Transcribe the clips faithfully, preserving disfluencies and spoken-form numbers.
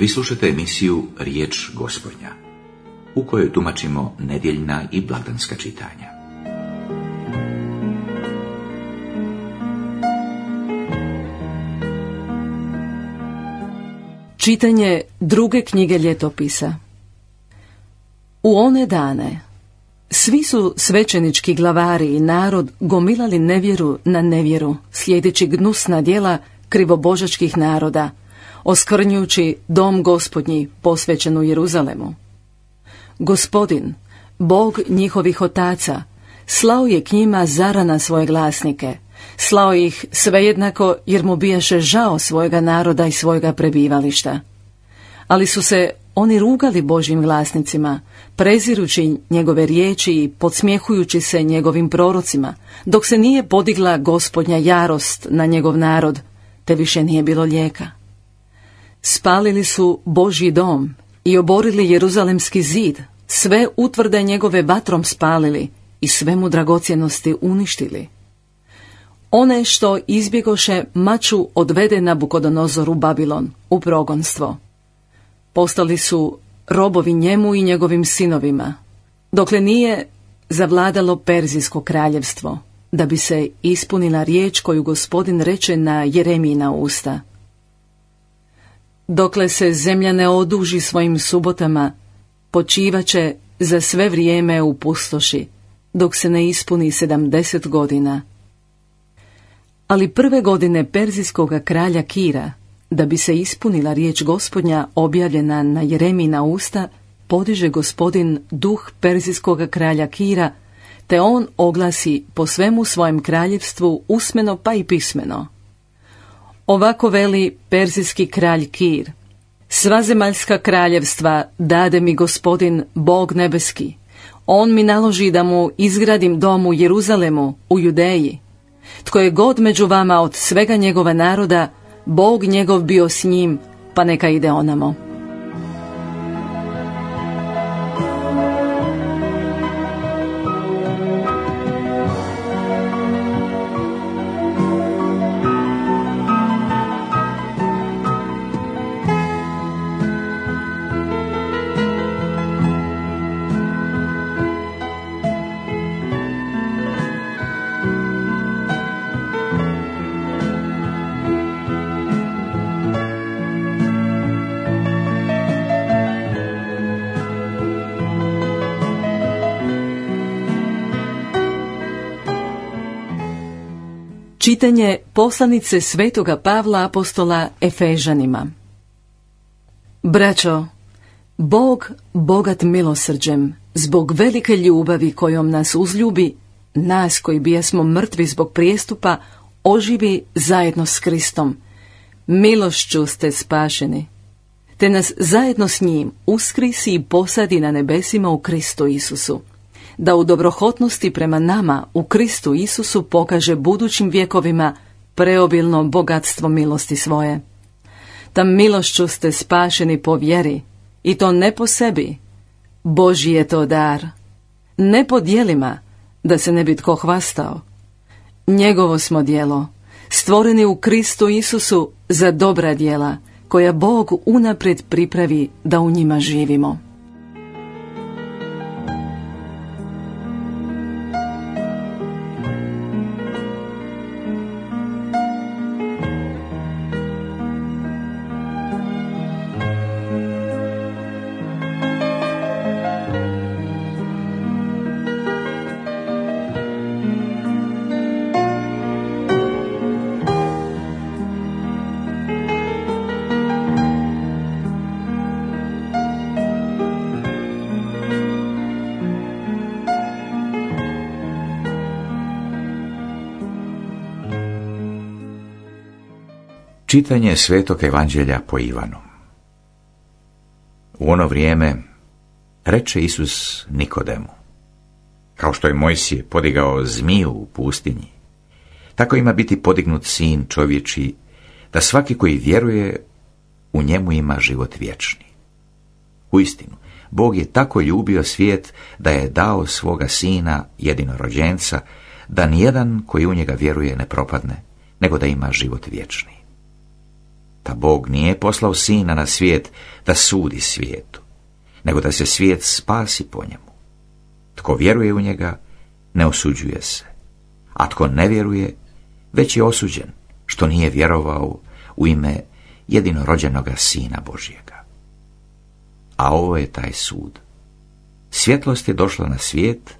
Vi slušate emisiju Riječ Gospodnja, u kojoj tumačimo nedjeljna i blagdanska čitanja. Čitanje druge knjige Ljetopisa. U one dane svi su svećenički glavari i narod gomilali nevjeru na nevjeru, slijedeći gnusna djela krivobožačkih naroda, oskvrnjujući dom Gospodnji posvećen u Jeruzalemu. Gospodin, Bog njihovih otaca, slao je k njima zarana svoje glasnike, slao ih svejednako jer mu bijaše žao svojega naroda i svojega prebivališta. Ali su se oni rugali Božjim glasnicima, prezirući njegove riječi i podsmjehujući se njegovim prorocima, dok se nije podigla Gospodnja jarost na njegov narod, te više nije bilo lijeka. Spalili su Božji dom i oborili Jeruzalemski zid, sve utvrde njegove vatrom spalili i sve mu dragocjenosti uništili. One što izbjegoše maču odvede Nabukodonozor u Babilon, u progonstvo. Postali su robovi njemu i njegovim sinovima, dokle nije zavladalo Perzijsko kraljevstvo, da bi se ispunila riječ koju Gospodin reče na Jeremijina usta. Dokle se zemlja ne oduži svojim subotama, počivaće za sve vrijeme u pustoši, dok se ne ispuni sedamdeset godina. Ali prve godine Perzijskoga kralja Kira, da bi se ispunila riječ Gospodnja objavljena na Jeremijina usta, podiže Gospodin duh Perzijskoga kralja Kira, te on oglasi po svemu svojem kraljevstvu usmeno pa i pismeno. Ovako veli Perzijski kralj Kir: sva zemaljska kraljevstva dade mi Gospodin, Bog nebeski. On mi naloži da mu izgradim dom u Jeruzalemu, u Judeji. Tko je god među vama od svega njegova naroda, Bog njegov bio s njim, pa neka ide onamo. Čitanje poslanice svetoga Pavla apostola Efežanima. Braćo, Bog, bogat milosrđem, zbog velike ljubavi kojom nas uzljubi, nas koji bijesmo mrtvi zbog prijestupa, oživi zajedno s Kristom. Milošću ste spašeni, te nas zajedno s njim uskrisi i posadi na nebesima u Kristu Isusu, da u dobrohotnosti prema nama u Kristu Isusu pokaže budućim vjekovima preobilno bogatstvo milosti svoje. Ta milošću ste spašeni po vjeri, i to ne po sebi, Božji je to dar, ne po djelima, da se ne bi tko hvastao. Njegovo smo djelo, stvoreni u Kristu Isusu za dobra djela, koja Bog unaprijed pripravi da u njima živimo. Čitanje Svetog Evanđelja po Ivanu. U ono vrijeme reče Isus Nikodemu: kao što je Mojsije podigao zmiju u pustinji, tako ima biti podignut sin čovječji, da svaki koji vjeruje u njemu ima život vječni. Uistinu, Bog je tako ljubio svijet da je dao svoga sina jedinorođenca, da nijedan koji u njega vjeruje ne propadne, nego da ima život vječni. Ta Bog nije poslao sina na svijet da sudi svijetu, nego da se svijet spasi po njemu. Tko vjeruje u njega, ne osuđuje se, a tko ne vjeruje, već je osuđen, što nije vjerovao u ime jedinorođenoga Sina Božjega. A ovo je taj sud. Svjetlost je došla na svijet,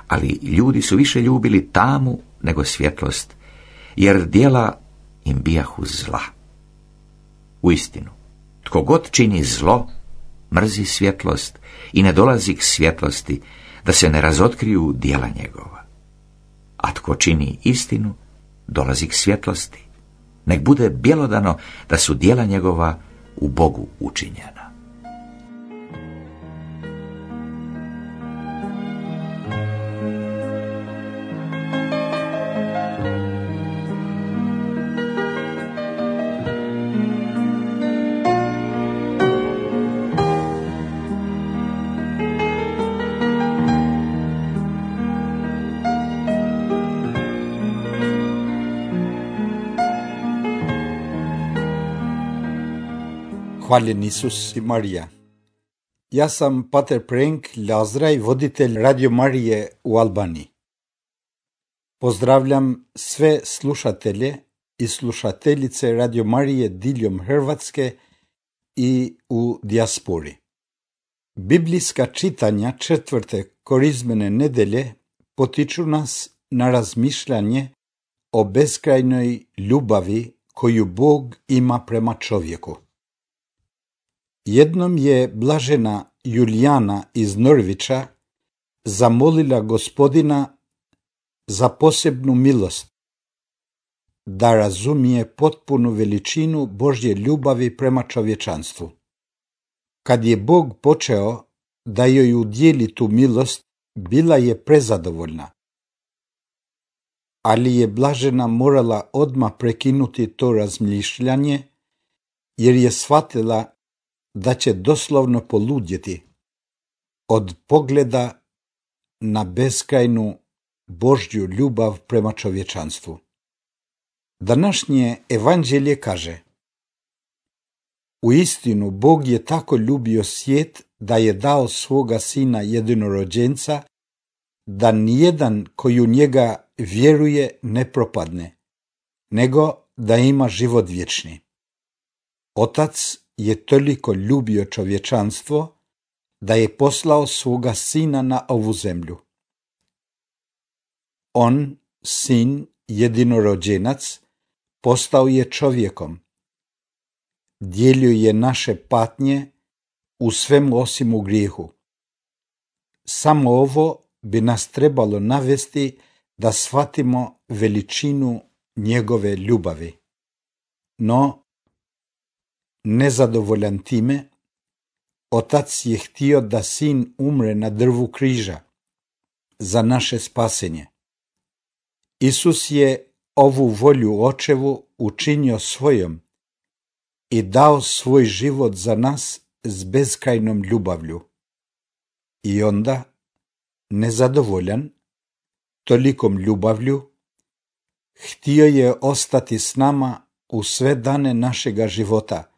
ali ljudi su više ljubili tamu nego svjetlost, jer djela im bijahu zla. Uistinu, tko god čini zlo, mrzi svjetlost i ne dolazi k svjetlosti, da se ne razotkriju djela njegova. A tko čini istinu, dolazi k svjetlosti, nek bude bjelodano da su djela njegova u Bogu učinjena. Hvaljen Isus i Marija. Ja sam pater Prenk Lazraj, voditelj Radio Marije u Albaniji. Pozdravljam sve slušatelje i slušateljice Radio Marije diljem Hrvatske i u dijaspori. Biblijska čitanja četvrte korizmene nedelje potiču nas na razmišljanje o beskrajnoj ljubavi koju Bog ima prema čovjeku. Jednom je blažena Julijana iz Norvića zamolila Gospodina za posebnu milost, da razumije potpunu veličinu Božje ljubavi prema čovječanstvu. Kad je Bog počeo da joj udijeli tu milost, bila je prezadovoljna. Ali je blažena morala odmah prekinuti to razmišljanje, jer je shvatila da će doslovno poludjeti od pogleda na beskrajnu Božju ljubav prema čovječanstvu. Današnje evanđelje kaže: Uistinu Bog je tako ljubio svijet da je dao svoga sina jedinorođenca, da nijedan koji u njega vjeruje ne propadne, nego da ima život vječni. Otac je toliko ljubio čovječanstvo da je poslao svoga sina na ovu zemlju. On, sin, jedinorođenac, postao je čovjekom. Dijelio je naše patnje u svemu osim u grijehu. Samo ovo bi nas trebalo navesti da shvatimo veličinu njegove ljubavi. No, nezadovoljan time, otac je htio da sin umre na drvu križa za naše spasenje. Isus je ovu volju očevu učinio svojom i dao svoj život za nas s beskrajnom ljubavlju. I onda, nezadovoljan tolikom ljubavlju, htio je ostati s nama u sve dane našega života,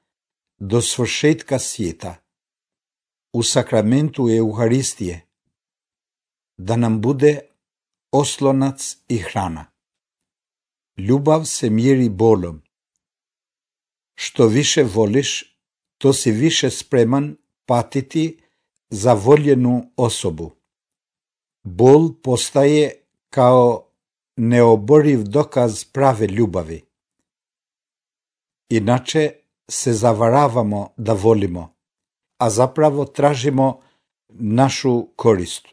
do svršetka svijeta, u sakramentu Euharistije, da nam bude oslonac i hrana. Ljubav se mjeri bolom. Što više voliš, to si više spreman patiti za voljenu osobu. Bol postaje kao neoboriv dokaz prave ljubavi. Inače se zavaravamo da volimo, a zapravo tražimo našu korist.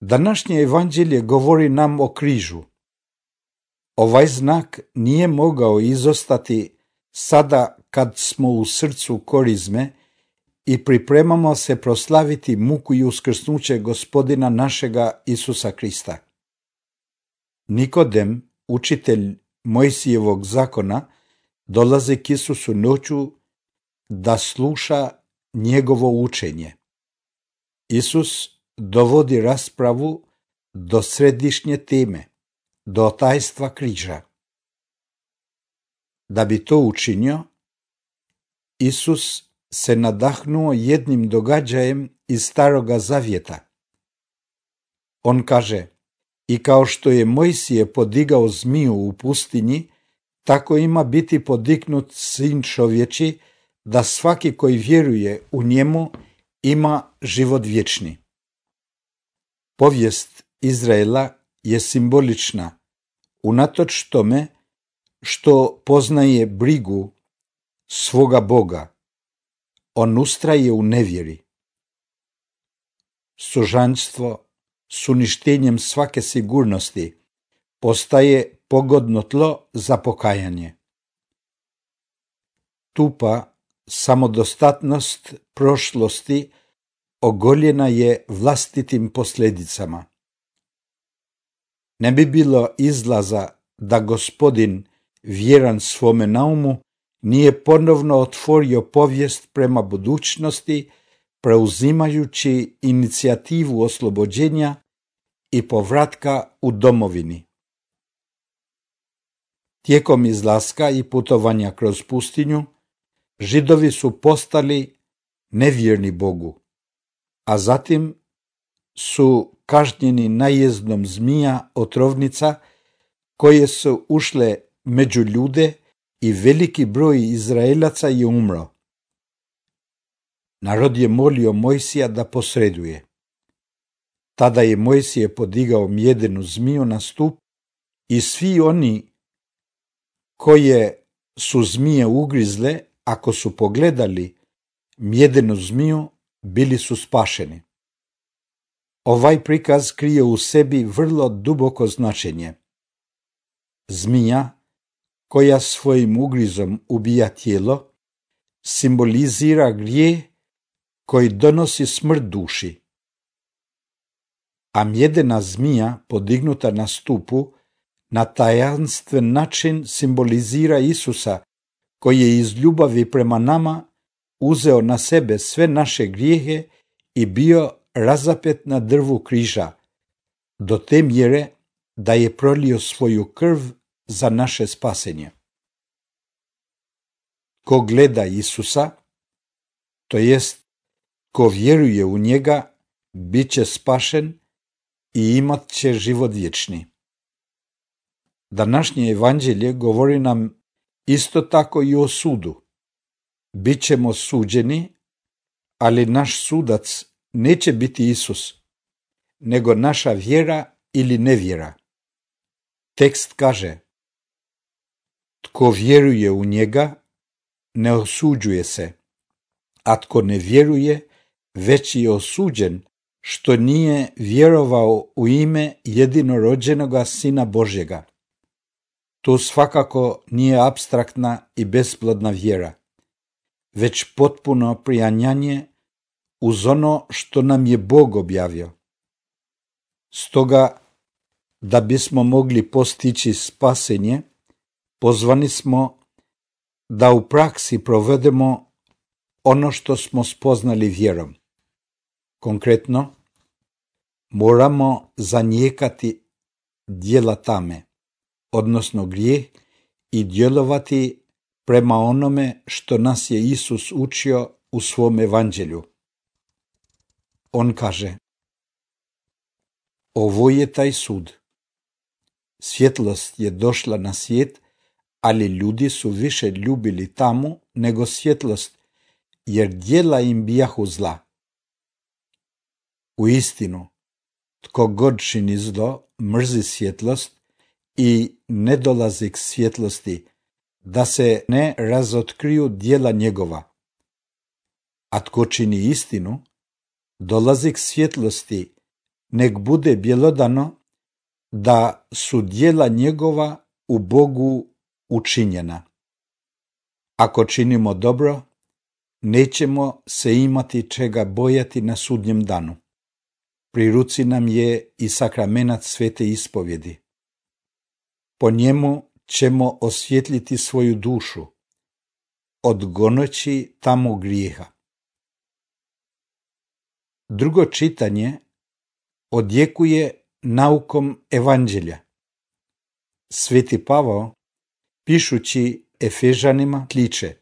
Današnje evanđelje govori nam o križu. Ovaj znak nije mogao izostati sada kad smo u srcu korizme i pripremamo se proslaviti muku i uskrsnuće Gospodina našega Isusa Krista. Nikodem, učitelj Mojsijevog zakona, dolazi k Isusu noću da sluša njegovo učenje. Isus dovodi raspravu do središnje teme, do tajstva križa. Da bi to učinio, Isus se nadahnuo jednim događajem iz Staroga Zavjeta. On kaže: i kao što je Mojsije podigao zmiju u pustinji, tako ima biti podignut sin čovječi, da svaki koji vjeruje u njemu ima život vječni. Povijest Izraela je simbolična, unatoč tome što poznaje brigu svoga Boga. On ustraje u nevjeri. Sužanjstvo s uništenjem svake sigurnosti postaje pogodno tlo za pokajanje. Tupa samodostatnost prošlosti ogoljena je vlastitim posljedicama. Ne bi bilo izlaza da Gospodin, vjeran svome naumu, nije ponovno otvorio povijest prema budućnosti, preuzimajući inicijativu oslobođenja i povratka u domovini. Tijekom izlaska i putovanja kroz pustinju, Židovi su postali nevjerni Bogu, a zatim su kažnjeni najezdom zmija otrovnica koje su ušle među ljude i veliki broj Izraelaca je umro. Narod je molio Mojsija da posreduje. Tada je Mojsije podigao mjedenu zmiju na stup i svi oni koje su zmije ugrizle, ako su pogledali mjedenu zmiju, bili su spašeni. Ovaj prikaz krije u sebi vrlo duboko značenje. Zmija, koja svojim ugrizom ubija tijelo, simbolizira grijeh koji donosi smrt duši. A mjedena zmija podignuta na stupu na tajanstven način simbolizira Isusa, koji je iz ljubavi prema nama uzeo na sebe sve naše grijehe i bio razapet na drvu križa, do te mjere da je prolio svoju krv za naše spasenje. Ko gleda Isusa, to jest ko vjeruje u njega, bit će spašen i imat će život vječni. Današnje evanđelje govori nam isto tako i o sudu. Bićemo suđeni, ali naš sudac neće biti Isus, nego naša vjera ili nevjera. Tekst kaže: tko vjeruje u njega, ne osuđuje se, a tko ne vjeruje, već je osuđen, što nije vjerovao u ime jedinorođenoga Sina Božjega. To svakako nije apstraktna i besplodna vjera, već potpuno prijanjanje uz ono što nam je Bog objavio. Stoga, da bismo mogli postići spasenje, pozvani smo da u praksi provedemo ono što smo spoznali vjerom. Konkretno, moramo zanijekati djela tame, odnosno grijeh, i djelovati prema onome što nas je Isus učio u svom evanđelju. On kaže: ovo je taj sud. Svjetlost je došla na svijet, ali ljudi su više ljubili tamu nego svjetlost, jer djela im bijahu zla. U istinu, tko god čini zlo, mrzi svjetlost i ne dolazi k svjetlosti, da se ne razotkriju djela njegova. A tko čini istinu, dolazi k svjetlosti, nek bude bjelodano da su djela njegova u Bogu učinjena. Ako činimo dobro, nećemo se imati čega bojati na sudnjem danu. Pri ruci nam je i sakramenat svete ispovjedi. Po njemu ćemo osvjetliti svoju dušu, odgoneći tamo grijeha. Drugo čitanje odjekuje naukom evanđelja. Sveti Pavao, pišući Efežanima kliče: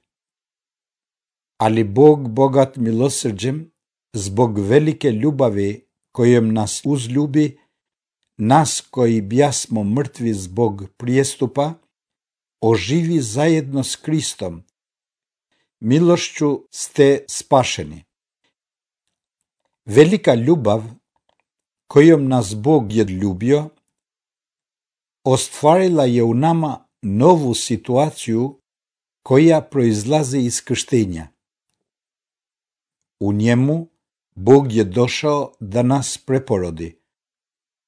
ali Bog bogat milosrđem, zbog velike ljubavi kojom nas uzljubi, nas koji bjasmo mrtvi zbog prijestupa, oživi zajedno s Kristom. Milošću ste spašeni. Velika ljubav kojom nas Bog je ljubio, ostvarila je u nama novu situaciju koja proizlazi iz krštenja. U njemu Bog je došao da nas preporodi.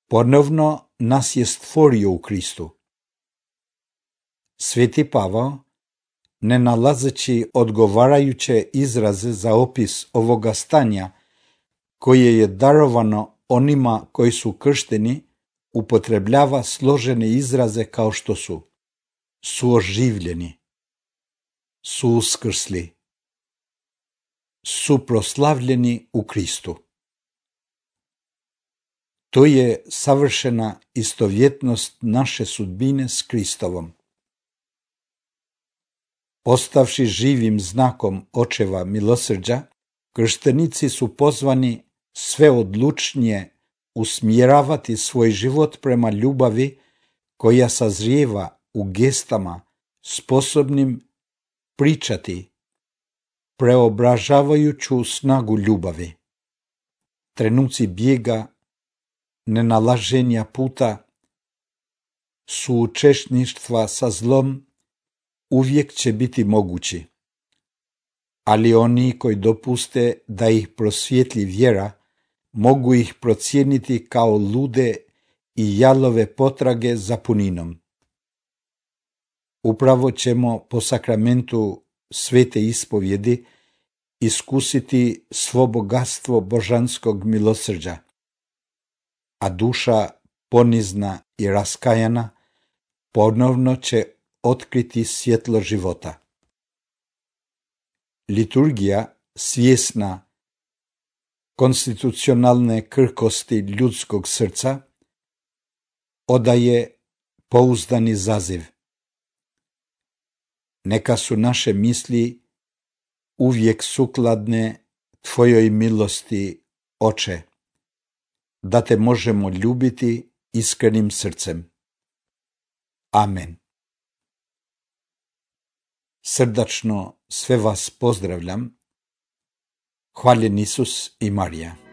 Ponovno nas je stvorio u Kristu. Sveti Pavao, ne nalazeći odgovarajuće izraze za opis ovoga stanja koje je darovano onima koji su kršteni, upotrebljava složene izraze kao što su suoživljeni, su uskrsli, su proslavljeni u Kristu. To je savršena istovjetnost naše sudbine s Kristovom. Postavši živim znakom očeva milosrđa, krštenici su pozvani sve odlučnije usmjeravati svoj život prema ljubavi koja sazrijeva u gestama sposobnim pričati preobražavajuću snagu ljubavi. Trenuci bijega, nenalaženja puta, suučesništva sa zlom uvijek će biti mogući, ali oni koji dopuste da ih prosvijetli vjera mogu ih procijeniti kao lude i jalove potrage za puninom. Upravo ćemo po sakramentu svete ispovjedi iskusiti svo bogatstvo božanskog milosrđa, a duša ponizna i raskajana ponovno će otkriti svjetlo života. Liturgija, svjesna konstitucionalne krhkosti ljudskog srca, odaje pouzdani zaziv. Neka su naše misli uvijek sukladne Tvojoj milosti, Oče, da Te možemo ljubiti iskrenim srcem. Amen. Srdačno sve vas pozdravljam. Hvaljen Isus i Marija.